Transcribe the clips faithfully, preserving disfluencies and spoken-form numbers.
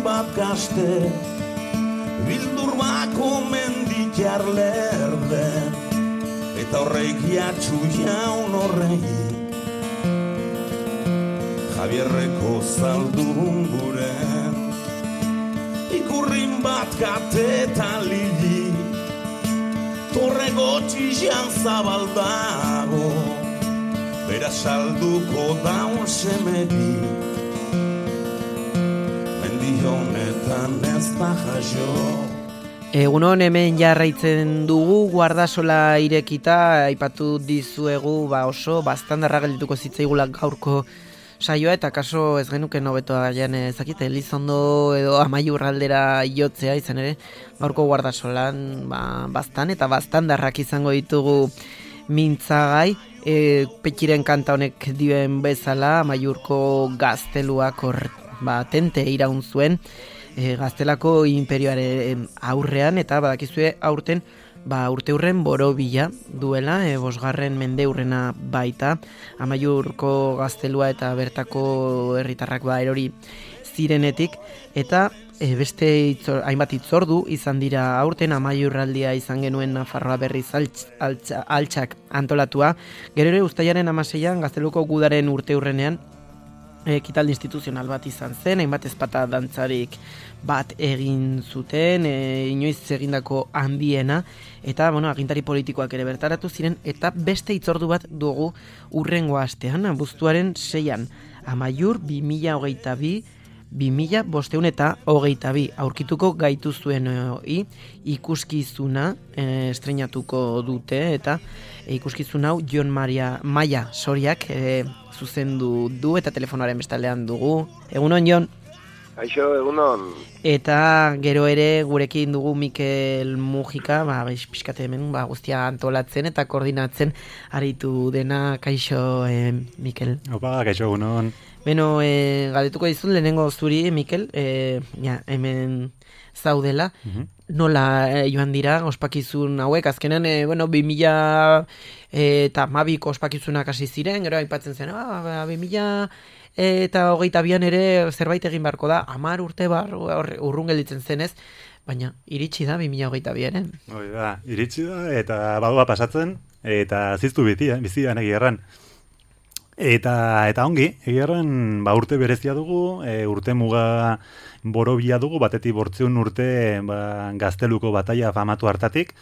bat gazte, bildur bako mendikar lerde, eta horreik jatxu jaun horrei, Javierreko zaldun guren, ikurrin bat kate eta lili, torre gotxizan zabaldago, bera salduko daun semedi, mendi honetan ez da jaso. Egunon hemen jarraitzen dugu, Guardasola irekita, aipatu dizuegu ba oso bastandarra geldituko zitzaigula gaurko saioa, eta kaso ez genuke nobetoa jan ezakite, Elizondo edo Amaiur aldera jotzea, izan ere, gaurko Guardasolan ba, bastan eta bastandarrak izango ditugu mintzagai, e, Petxiren kanta honek dioen bezala, Amaiurko gazteluak hor ba, tente iraun zuen, E, gaztelako imperioaren aurrean, eta badakizue aurten ba, urte hurren borobila duela, e, bosgarren mende hurrena baita, Amaiurko gaztelua eta bertako herritarrak ba, erori zirenetik, eta e, beste itzor, hainbat itzordu izan dira aurten, Amaiurraldia izan genuen Nafarroa berriz altx, altx, altxak antolatua, gero ere uztailaren hamaseian gazteluko gudaren urte hurrenean, ekitaldi instituzional bat izan zen, hainbat ezpata dantzarik bat egin zuten, e, inoiz egindako handiena, eta bueno, agintari politikoak ere bertaratu ziren, eta beste itzordu bat dugu urrengo astean, abuztuaren seian, Amaiur bi mila hogeita bi, bi mila bosteun eta hogeita bi, aurkituko gaituzuen hori, ikuskizuna e, estrenatuko dute, eta e, ikuskizun hau Jon Maria Maia Soriak e, zuzendu du, eta telefonoaren bestaldean dugu. Egunon, Jon? Aixo, egunon. Eta gero ere gurekin dugu Mikel Mujika, ba, pixkate hemen ba, guztia antolatzen eta koordinatzen aritu dena. Kaixo, eh, Mikel. Opa, kaixo, egunon. Beno, eh, galdetuko dizun lehenengo zuri, Mikel, eh, ja, hemen zaudela. Uh-huh. Nola eh, joan dira ospakizun hauek, azkenan, eh, bueno, bi mila eta mabiko ospakizunak hasi ziren, gero aipatzen zen, ah, bi mila eta hogeita bian ere zerbait egin beharko da, hamar urte bar urrun gelditzen zenez, baina iritsi da bi mila hogeita biaren. Hoi da, iritsi da, eta badua pasatzen, eta ziztu bizi, eh, bizi da egerran. Eta, eta ongi, egerran ba, urte berezia dugu, e, urte muga borobila dugu, batetik bortzeun urte ba, gazteluko bataia famatu hartatik,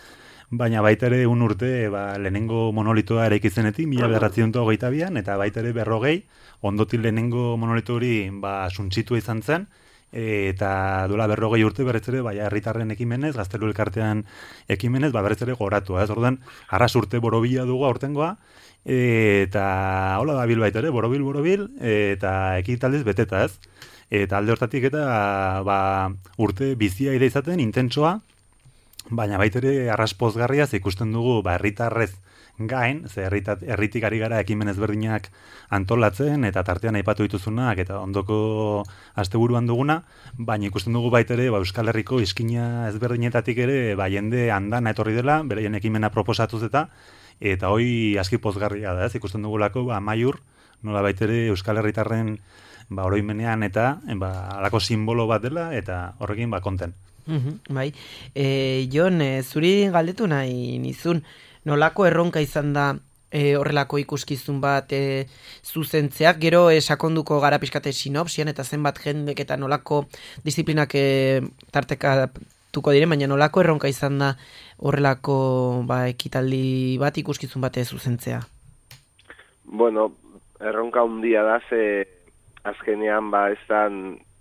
baina baita ere un urte ba, lehenengo monolitoa ere ikizenetik, mila bederatziuntu hogeita bian, eta baita ere berrogei, ondotik lehenengo monolito hori ba, suntxitua izan zen, eta duela berrogei urte berriz ere, baina herritarren ekimenez, gaztelu elkartean ekimenez, ba, berriz ere goratua. Ez orduan, arras urte borobila dugu aurtengoa, eta hola da bil baita ere, borobil, borobil, eta ekitaldiz beteta ez. Eta alde hortatik eta ba, urte bizia ide izaten, intentsoa, baina baita ere arras pozgarriaz ikusten dugu ba, herritarrez gain, ze herritik ari gara ekimen ezberdinak antolatzen, eta tartean aipatu dituzunak, eta ondoko asteburuan duguna, baina ikusten dugu baita ere ba, Euskal Herriko iskina ezberdinetatik ere ba, jende andana etorri dela, beraien ekimena proposatuz eta, eta hoi aski pozgarria da, ez? Ikusten dugulako ba, Amaiur, nola baita ere Euskal Herritarren ba, oroimenean eta ba, alako simbolo bat dela, eta horrekin ba, konten. Uhum, bai, e, Jon, e, zuri galdetu nahi nizun, nolako erronka izan da e, horrelako ikuskizun bat e, zuzentzeak, gero e, sakonduko gara pixkate sinopsian eta zenbat jendek eta nolako disiplinak e, tartekatuko diren, baina nolako erronka izan da horrelako ba, ekitaldi bat ikuskizun bat zuzentzea? Bueno, erronka handia da, ze azkenean ba ez da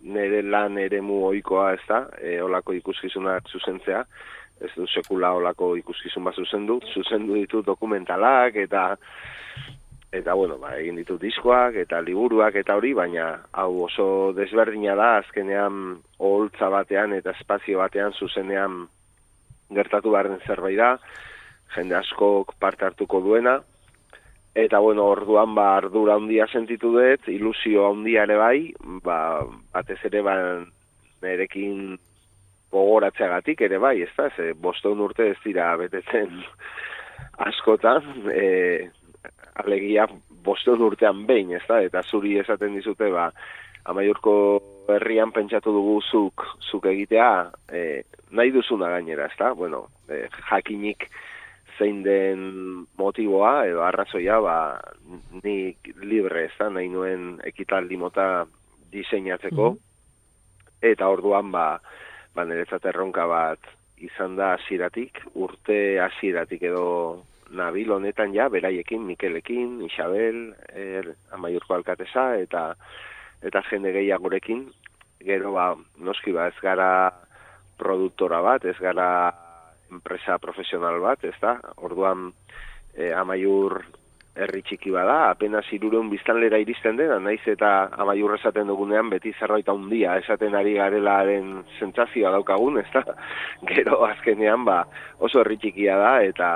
nere lan eremu ohikoa, ez da, e, olako ikuskizunak zuzentzea, ez du sekula olako ikuskizun bat zuzendu, zuzendu ditu dokumentalak, eta, eta bueno, ba, egin ditu diskoak, eta liburuak, eta hori, baina hau oso desberdina da, azkenean oholtza batean, eta espazio batean zuzenean gertatu beharren zerbait da, jende askok parte hartuko duena, eta bueno, orduan ba ardura handia sentitu dut, ilusio handia ere bai, ba batez ere ba nerekin gogoratzeagatik ere bai, ezta? Ze bostehun urte ez dira betetzen askotan, eh alegia bostehun urtean behin, ezta? Eta zuri esaten dizute ba Amaiurko herrian pentsatu dugu zuk, zuk egitea, e, nahi duzuna gainera, ezta? Bueno, e, jakinik zein den motiboa edo arrazoia, ba, ni libre, ezta? Nahi nuen ekitaldi mota diseinatzeko, mm-hmm. eta orduan, ba, ba niretzat erronka bat izan da hasieratik, urte hasieratik edo nabil honetan ja, beraiekin, Mikelekin, Isabel, er, Amaiurko alkatesa, eta eta jende gehiagorekin, gero ba, noski ba, ez gara produktora bat, ez gara enpresa profesional bat, ez da? Orduan, eh, Amaiur herri txiki bada, apenas hirurehun biztanlera iristen dena, naiz eta Amaiur esaten dugunean, beti zerbait handia esaten ari garelaren sentsazioa daukagun, ez da? Gero azkenean, ba, oso herri txikia da, eta,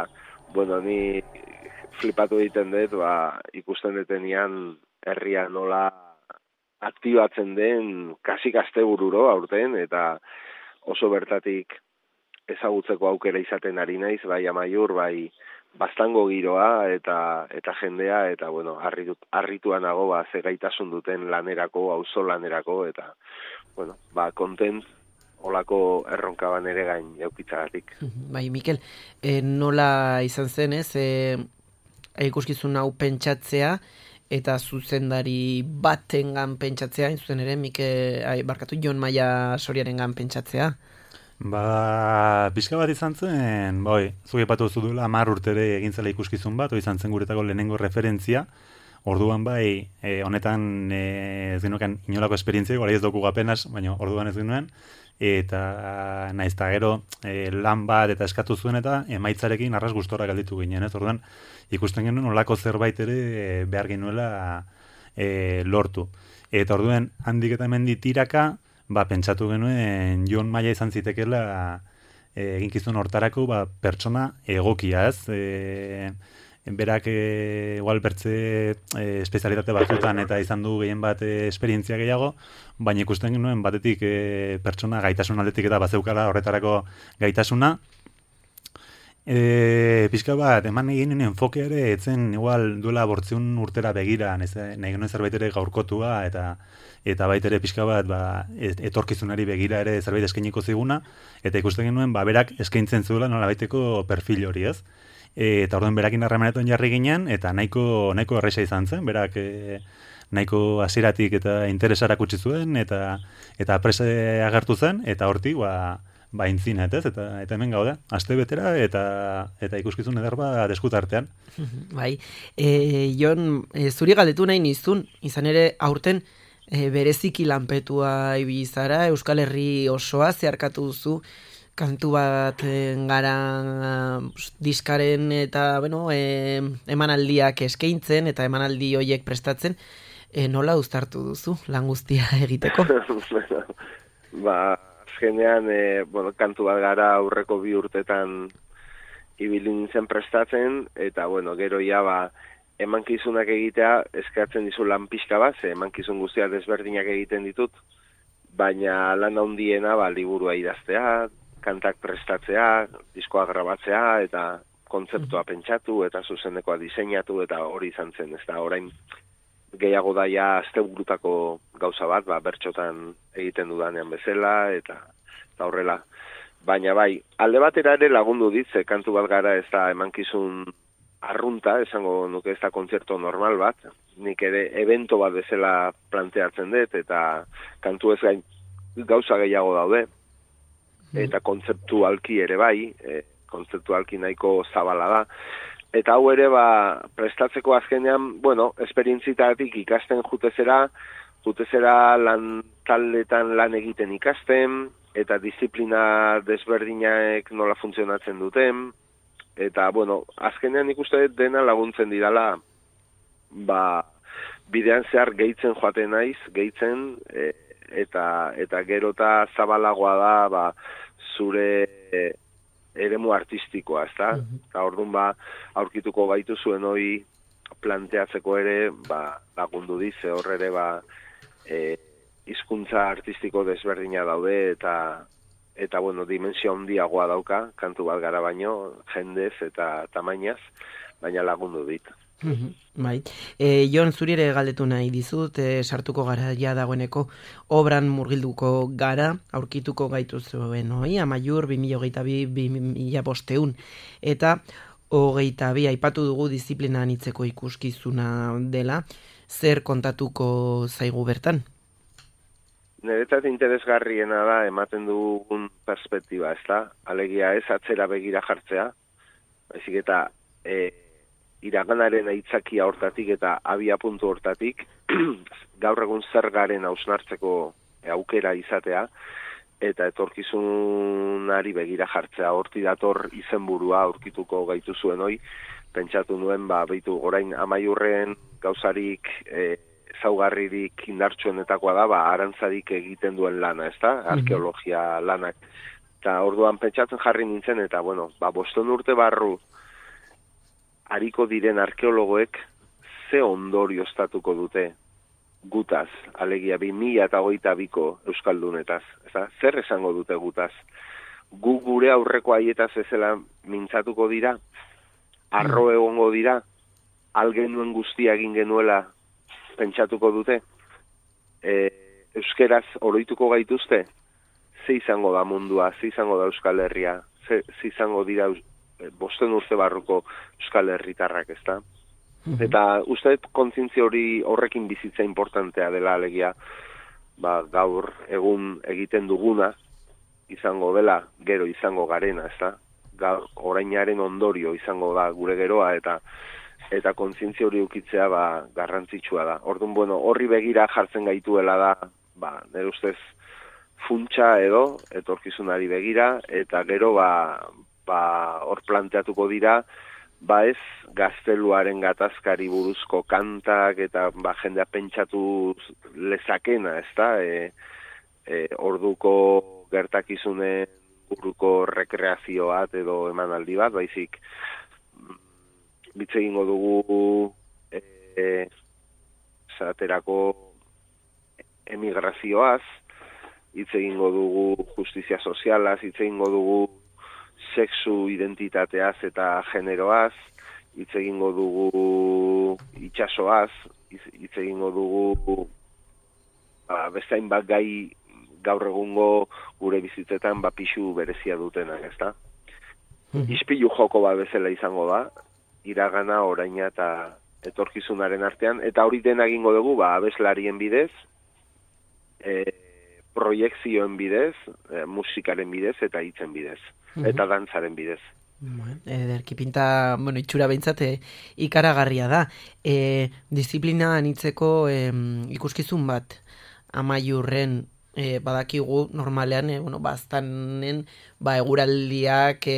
bueno, ni flipatu egiten dut, ba, ikusten detenean herria nola aktibatzen den kasik astebururo aurten, eta oso bertatik ezagutzeko aukera izaten ari naiz, bai Amaiur, bai Baztango giroa, eta eta jendea, eta bueno, harritu, harrituan nago, ba, ze gaitasun duten lanerako, auzo lanerako, eta bueno, ba, kontent olako erronka ban ere gain jaukitzagatik. Bai, Mikel, e, nola izan zen, ez, e, ikuskizun hau pentsatzea, eta zuzendari batengan pentsatzea, zuzen ere, Mike, ai, barkatu, Jon Maia Soriarengan pentsatzea? Ba, pixka bat izan zen, boi, zuke patu zudula, hamar urtere egin zela ikuskizun bat, izan zen guretako lehenengo referentzia, orduan bai, e, honetan e, ez genuken inolako esperientzia, gara ez dugu apenas, baina orduan ez genuen, eta naiz eta gero e, lan bat eta eskatu zuen eta emaitzarekin arras gustora galditu ginen, ez? Orduan ikusten genuen olako zerbait ere e, behar genuela e, lortu. Eta orduan handik eta hemendi tiraka, ba, pentsatu genuen Jon Maia izan zitekela e, eginkizun hortarako ba, pertsona egokia, ez? E, berak e, igual bertze e, espezialitate batzutan eta izan du gehien bat e, esperientzia gehiago, baina ikusten genuen batetik e, pertsona gaitasun aldetik eta bazeukala horretarako gaitasuna. E, pixka bat, eman egin enfoke ere, etzen igual duela bortziun urtera begira, nahi genuen zerbait ere gaurkotua, eta eta bait ere pixka bat ba, etorkizunari begira ere zerbait eskainiko ziguna, eta ikusten genuen ba, berak eskaintzen zuela nola baiteko perfil hori, ez? E, eta orduan berakin harremanetan jarri ginen, eta nahiko, nahiko erresa izan zen, berak e, nahiko hasieratik eta interesarak utzi zuen, eta eta prese agertu zen, eta hortik ba, ba intzinet, ez? Eta, eta hemen gaude, aste betera, eta eta ikuskizun eder bat eskutartean. Bai, e, Jon, e, zuri galdetu nahi nizun, izan ere aurten e, bereziki lanpetua ibili zara, Euskal Herri osoa zeharkatu duzu, kantu bat gara diskaren eta bueno, e, emanaldiak eskaintzen eta emanaldi horiek prestatzen, e, nola uztartu duzu lan guztia egiteko? Ba, azkenean, e, bueno, kantu bat gara aurreko bi urtetan ibili nintzen prestatzen, eta bueno, gero ja ba, emankizunak egitea eskatzen dizu lan pixka bat, ze emankizun guztia desberdinak egiten ditut, baina lan handiena ba, liburua idaztea, kantak prestatzea, diskoa grabatzea, eta kontzeptua pentsatu, eta zuzenekoa diseinatu, eta hori izan zen, ez da, orain gehiago daia asteburutako gauza bat, ba, bertxotan egiten dudanean bezala, eta, eta horrela. Baina bai, alde batera ere lagundu dit, ze kantu bat gara ez da emankizun arrunta, esango nuke ez da kontzerto normal bat, nik ere evento bat bezala planteatzen dut, eta kantu ez gain gauza gehiago daude, eta kontzeptualki ere bai, e, kontzeptualki nahiko zabala da. Eta hau ere, ba, prestatzeko azkenean, bueno, esperientzitatik ikasten jutezera, jutezera lan taldetan lan egiten ikasten, eta disiplina desberdinak nola funtzionatzen duten, eta, bueno, azkenean ikuste dena laguntzen didala, ba, bidean zehar gehitzen joaten naiz, gehitzen, e, eta eta gerota zabalagoa da ba, zure e, eremu artistikoa, ezta? Mm-hmm. Eta orduan ba, aurkituko gaitu zuen hori planteatzeko ere ba, lagundu dize hor ere ba, e, hizkuntza artistiko desberdina daude eta eta bueno, dimensio handiagoa dauka, kantu bat gara baino, jendez eta tamainaz, baina lagundu dit. Bai. E, Jon, zuri ere galdetu nahi dizut, e, sartuko gara ja dagoeneko obran murgilduko gara, aurkituko gaitu zuen, oi? Amaiur, bi mila hogeita bi, bi mila bosteun. Eta hogeita bi, aipatu dugu disiplina anitzeko ikuskizuna dela, zer kontatuko zaigu bertan? Niretzat interesgarriena da ematen dugun perspektiba, ez da? Alegia ez atzera begira jartzea, baizik eta e, iraganaren aitzakia hortatik eta abia puntu hortatik, gaur egun zer garen hausnartzeko aukera izatea, eta etorkizunari begira jartzea, horti dator izenburua aurkituko gaitu zuen hoi, pentsatu nuen, ba, beitu, orain Amaiurren gauzarik e, zaugarririk indartsuenetakoa da, ba, arantzarik egiten duen lana, ez da? Arkeologia lanak. Eta orduan pentsatzen jarri nintzen, eta, bueno, ba, boston urte barru hariko diren arkeologoek ze ondorio estatuko dute gutaz, alegia bi mila eta hogeita biko euskaldunetaz. Ezta? Zer esango dute gutaz? Gu gure aurreko haietaz ezela mintzatuko dira, arro egongo dira, algenuen guztia egin genuela pentsatuko dute, e, euskeraz oroituko gaituzte, ze izango da mundua, ze izango da Euskal Herria, ze, ze izango dira bosten urte barruko Euskal Herritarrak, ezta? Mm-hmm. Eta uste kontzientzia hori horrekin bizitza importantea dela, alegia, ba, gaur egun egiten duguna, izango dela, gero izango garena, ezta? Gaur orainaren ondorio izango da gure geroa, eta eta kontzientzia hori ukitzea ba, garrantzitsua da. Orduan, bueno, horri begira jartzen gaituela da, ba, nire ustez, funtsa edo, etorkizunari begira, eta gero, ba, ba, hor planteatuko dira, ba ez gazteluaren gatazkari buruzko kantak, eta ba, jendea pentsatu lezakena, ez da, e, e, orduko gertakizunen buruko rekreazio bat edo emanaldi bat, baizik, bitz egingo dugu e, e, zaterako emigrazioaz, hitz egingo dugu justizia sozialaz, hitz egingo dugu sexu identitateaz eta generoaz, hitz egingo dugu itxasoaz, hitz egingo dugu ba, beste hainbat gai gaur egungo gure bizitzetan ba, pixu berezia dutenak, ezta? Mm-hmm. Ispilu joko bat bezala izango da, iragana, oraina eta etorkizunaren artean, eta hori dena egingo dugu, ba, abeslarien bidez, e, proiekzioen bidez, e, musikaren bidez, eta hitzen bidez, mm-hmm. eta dantzaren bidez. Bueno, ederki pinta, bueno, itxura behintzat e, ikaragarria da. E, disiplina anitzeko e, ikuskizun bat, Amaiurren, E, badakigu normalean, e, bueno, baztanen ba, eguraldiak e,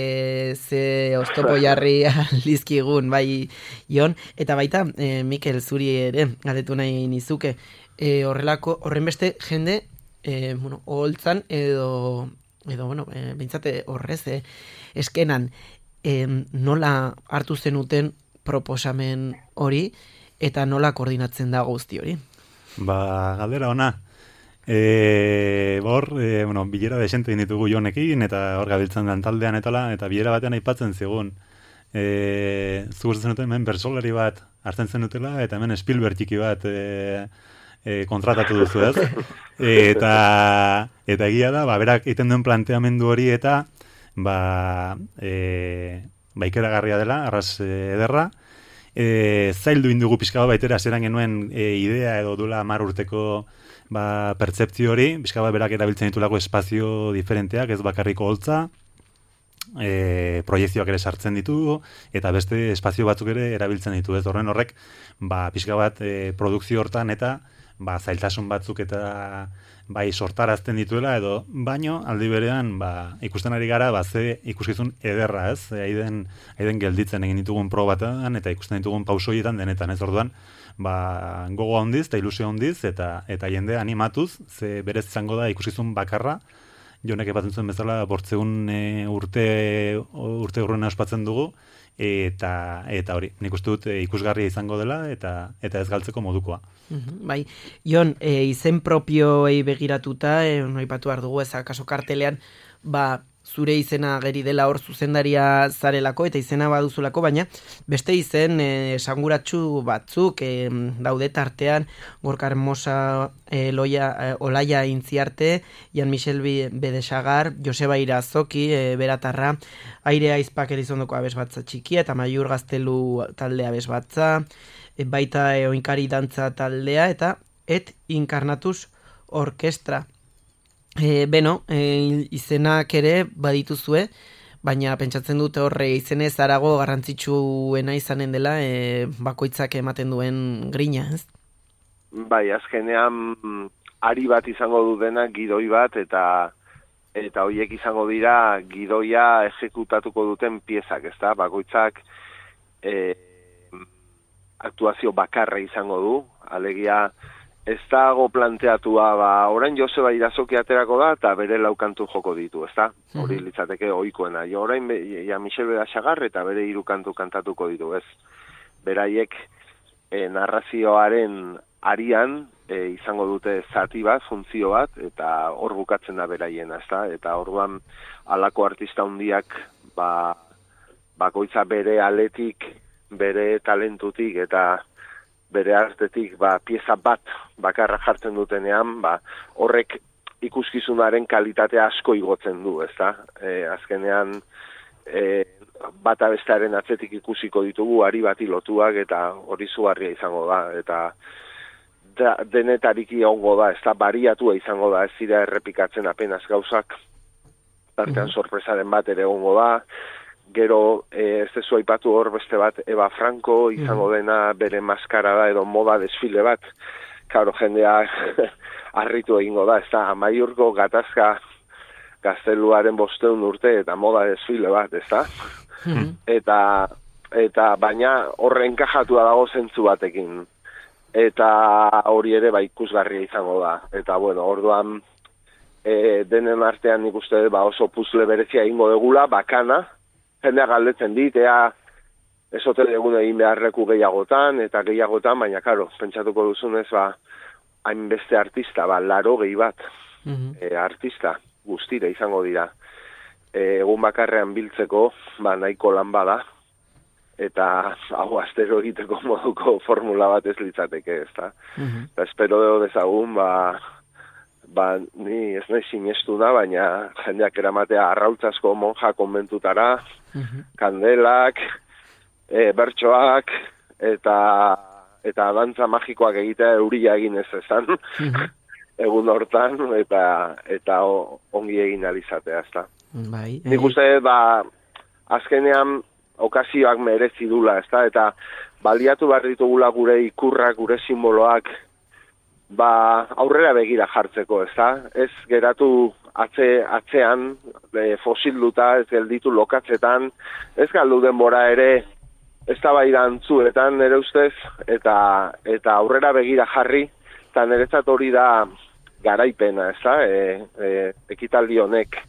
ze oztopo jarri aldizkigun, bai, Jon, eta baita, e, Mikel, zuri ere, galdetu nahi nizuke, e, horrelako, horren beste jende, e, bueno, oholtzan edo, edo, bueno, e, bintzate horrez, e, eskenan, e, nola hartu zenuten proposamen hori, eta nola koordinatzen da guzti hori? Ba, galdera ona. E, bor, e, bueno, bilera desente ditugu Jonekin, eta hor gabiltzen den taldean etala, eta bilera batean aipatzen zigun. E, Zugusten zenuten hemen bersolari bat hartzen zenutela, eta hemen Spielberg txiki bat e, e, kontratatu duzu, ez? Eta, eta egia da, ba, berak egiten duen planteamendu hori, eta ba, e, ba ikeragarria dela, arras ederra, e, zaildu indugu pixka bat baitera, zeran genuen e, idea edo dula hamar urteko ba, pertzeptzio hori, pixka bat berak erabiltzen ditulako espazio diferenteak, ez bakarriko holtza, e, proiekzioak ere sartzen ditu, eta beste espazio batzuk ere erabiltzen ditu, ez horren horrek, ba, pixka bat e, produkzio hortan eta ba, zailtasun batzuk eta bai sortarazten dituela, edo baino aldi berean ba, ikusten ari gara, ba, ze ikuskizun ederra, ez? E, aiden, aiden gelditzen egin ditugun probatan, eta ikusten ditugun pausoietan denetan, ez orduan, ba, gogo handiz eta ilusio handiz, eta eta jende animatuz, ze berez izango da ikuskizun bakarra, Jonek epatzen zuen bezala, bortzeun e, urte, urte urruna ospatzen dugu, eta eta hori, nik uste dut e, ikusgarria izango dela, eta eta ez galtzeko modukoa. Mm-hmm, bai, Jon, e, izen propioei begiratuta, e, noipatu behar dugu, ez akaso kartelean, ba, zure izena ageri dela hor zuzendaria zarelako eta izena baduzulako, baina beste izen e, esanguratsu batzuk e, daude tartean, Gorka Hermosa, e, Loia, e, Olaia Intziarte, Jan Michel Bedesagar, Joseba Irazoki, e, Beratarra, Aire Aizpak Elizondoko abesbatza txikia eta Maiur Gaztelu taldea abesbatza, e, baita e, Oinkari dantza taldea eta Et Incarnatus Orkestra. E, beno, e, izenak ere badituzue, baina pentsatzen dute horre izenez harago garrantzitsuena izanen dela e, bakoitzak ematen duen grina, ez? Bai, azkenean ari bat izango du dena, gidoi bat, eta eta horiek izango dira gidoia exekutatuko duten piezak, ezta? Bakoitzak e, aktuazio bakarra izango du, alegia ez dago planteatua, ba, orain Joseba Irazoki aterako da, eta bere laukantu joko ditu, ezta? Hori mm-hmm. litzateke ohikoena. Jo, orain be, ja Michel Bedesagar eta bere hiru kantu kantatuko ditu, ez? Beraiek e, narrazioaren arian e, izango dute zati bat, funtzio bat, eta hor bukatzen da beraiena, ezta? Eta orduan halako artista handiak ba, bakoitza bere aletik, bere talentutik eta bere artetik ba, pieza bat bakarra jartzen dutenean, ba, horrek ikuskizunaren kalitatea asko igotzen du, ezta? E, azkenean e, bata bestearen atzetik ikusiko ditugu, ari bati lotuak, eta hori zugarria izango da, eta da, denetariki ongo da, ezta? Bariatua izango da, ez dira errepikatzen apenas gauzak, tartean sorpresaren bat ere ongo da. Gero, eh, ez dezu aipatu hor beste bat, Eva Franco, izango dena bere maskarada edo moda desfile bat. Karo, jendea harritu egingo da, ez da, Amaiurko gatazka gazteluaren bosteun urte eta moda desfile bat, ez da? Mm-hmm. Eta, eta baina horren kajatua dago zentzu batekin. Eta hori ere ba ikusgarria izango da. Eta, bueno, orduan e, denen artean nik uste ba, oso puzle berezia egingo degula, bakana, jendea galdetzen dit, ea esote egun egin beharreku gehiagotan, eta gehiagotan, baina, karo, pentsatuko duzunez, ba, hainbeste artista, ba, laro gehi bat, mm-hmm. e, artista guztira izango dira. E, egun bakarrean biltzeko, ba, nahiko lan bada, eta hau astero egiteko moduko formula bat ez litzateke, ez da? Mm-hmm. Eta espero deo dezagun, ba, ba, ni ez nahi sinestu da, baina jendeak eramatea arrautzazko monja konbentutara, mm-hmm. kandelak, e, bertsoak, eta eta dantza magikoak egitea euria egin ez ezan, mm-hmm. egun hortan, eta eta ongi egin alizatea, ezta. Bai, nik uste, ba, azkenean okazioak merezi dula, ezta, eta baliatu behar ditugula gure ikurrak, gure simboloak, ba, aurrera begira jartzeko, ezta? Ez geratu atze, atzean, e, fosilduta, ez gelditu lokatzetan, ez galdu denbora ere, ez da bai dantzuetan, nire ustez, eta, eta aurrera begira jarri, eta niretzat hori da garaipena, ezta? E, e, ekitaldi honek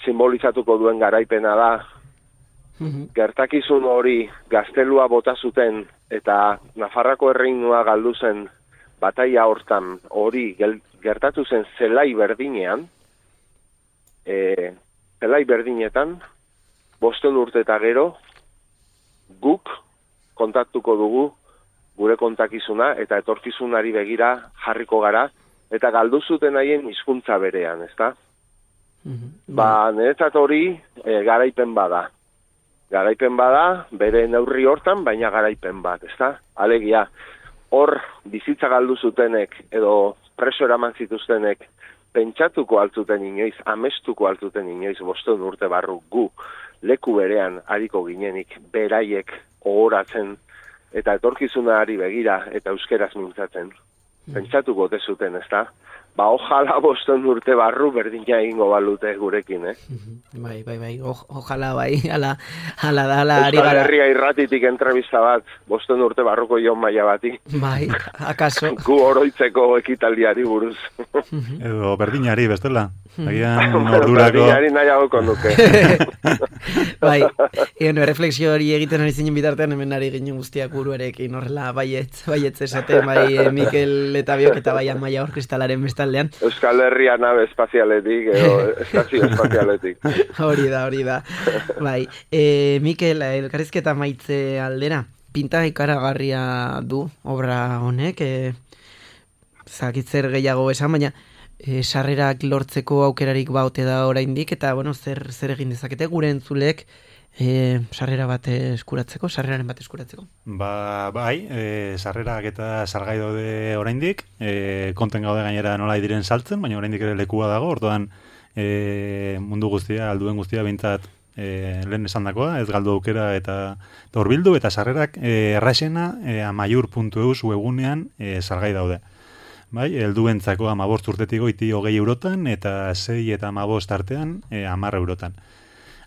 simbolizatuko duen garaipena da, mm-hmm. gertakizun hori gaztelua bota zuten, eta Nafarrako erreinua galdu zen, bataia hortan hori gertatu zen zelai berdinean, e, zelai berdinetan, bosten urte eta gero, guk kontaktuko dugu gure kontakizuna eta etorkizunari begira jarriko gara, eta galdu zuten haien hizkuntza berean, ezta? Mm-hmm. Ba, niretzat hori e, garaipen bada. Garaipen bada, bere neurri hortan, baina garaipen bat, ezta? Alegia, hor bizitza galdu zutenek edo preso eraman zituztenek pentsatuko altzuten inoiz, amestuko altzuten inoiz bosteun urte barru gu leku berean hariko ginenik beraiek ohoratzen eta etorkizunari begira eta euskeraz mintzatzen. Pentsatuko ote zuten, ezta? Ba, ojala bosteun urte barru berdina egingo balute gurekin, eh? Bai, bai, bai, o, ojala bai, ala, ala da, ala ari gara. Euskal Herria irratitik entrevista bat, bosteun urte barruko Jon Maia bati. Bai, akaso. Gu oroitzeko ekitaldiari buruz. Edo berdinari, bestela. Agian ordurako... Berdinari nahiago konduke. Bai, egon, refleksio hori egiten ari zinen bitartean, hemen ari ginen guztiak buruarekin, horrela, baietz, baietz esaten, bai, Mikel eta Biok eta bai Amaia Orkestalaren beste bestaldean. Euskal Herria nabe espazialetik, edo estazio espazialetik. Hori da, hori da. Bai, e, Mikel, elkarrizketa maitze aldera, pinta ikaragarria du obra honek, e, zakitzer gehiago esan, baina e, sarrerak lortzeko aukerarik baute da oraindik, eta bueno, zer, zer egin dezakete gure entzulek e, sarrera bat eskuratzeko, sarreraren bat eskuratzeko? Ba, bai, e, sarrerak eta salgai daude oraindik, e, konten gaude gainera nola diren saltzen, baina oraindik ere lekua dago, orduan e, mundu guztia, alduen guztia behintzat e, lehen esandakoa, ez galdu aukera eta horbildu, eta sarrerak e, erraxena e, amaiur puntu eus webunean e, salgai daude. Bai, helduentzako hamabost urtetik goiti hogei eurotan, eta sei eta hamabost artean e, hamar eurotan.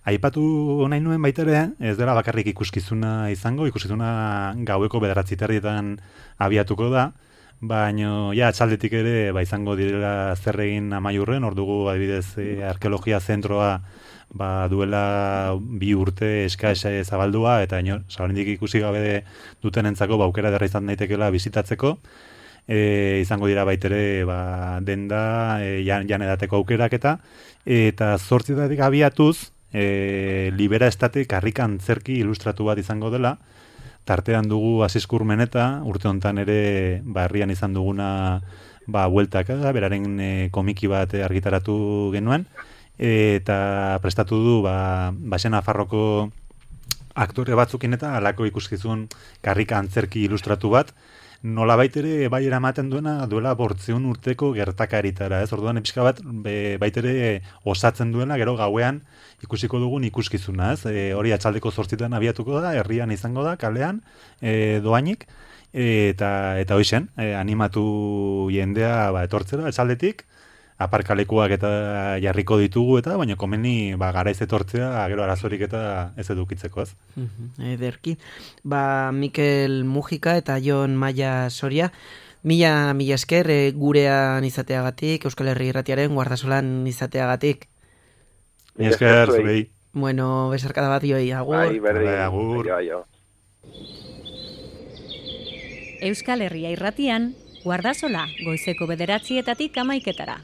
Aipatu nahi nuen baita ere, ez dela bakarrik ikuskizuna izango, ikuskizuna gaueko bederatzi terdietan abiatuko da, baina ja atxaldetik ere ba, izango direla zer egin amaiurren, hor dugu adibidez e, arkeologia zentroa ba, duela bi urte eskaesa zabaldua, eta inor, zabarindik ikusi gabe dutenentzako ba, aukera derra izan daitekela bizitatzeko, E, izango dira baitere ba, denda, e, jan, jan edateko aukerak eta eta zortzitatik abiatuz e, libera estate karrikan zerki ilustratu bat izango dela, tartean dugu Asiskur Meneta, urte hontan ere ba, herrian izan duguna ba, bueltaka, beraren e, komiki bat argitaratu genuen, e, eta prestatu du ba, Basen Nafarroko aktore batzukin eta halako ikuskizun karrika antzerki ilustratu bat, nola baitere bai eramaten duena duela bortzeun urteko gertakaritara, ez? Orduan epizka bat be, baitere osatzen duena, gero gauean ikusiko dugun ikuskizuna, ez? E, hori atxaldeko zortzitan abiatuko da, herrian izango da, kalean, e, doainik, e, eta, eta hoixen, e, animatu jendea ba, etortzera, atxaldetik, aparkalekuak eta jarriko ditugu eta, baina komeni ba, garaiz etortzea, gero arazorik eta ez edukitzeko, ez? Ederki. Ba, Mikel Mujika eta Jon Maia Soria, mila, mila esker e, gurean izateagatik, Euskal Herri Irratiaren guardasolan izateagatik. Mila esker, zurei. Bueno, besarkada bat joi, agur. Bai, berri, agur. Aio, aio. Euskal Herria Irratian, guardasola, goizeko bederatzietatik amaiketara.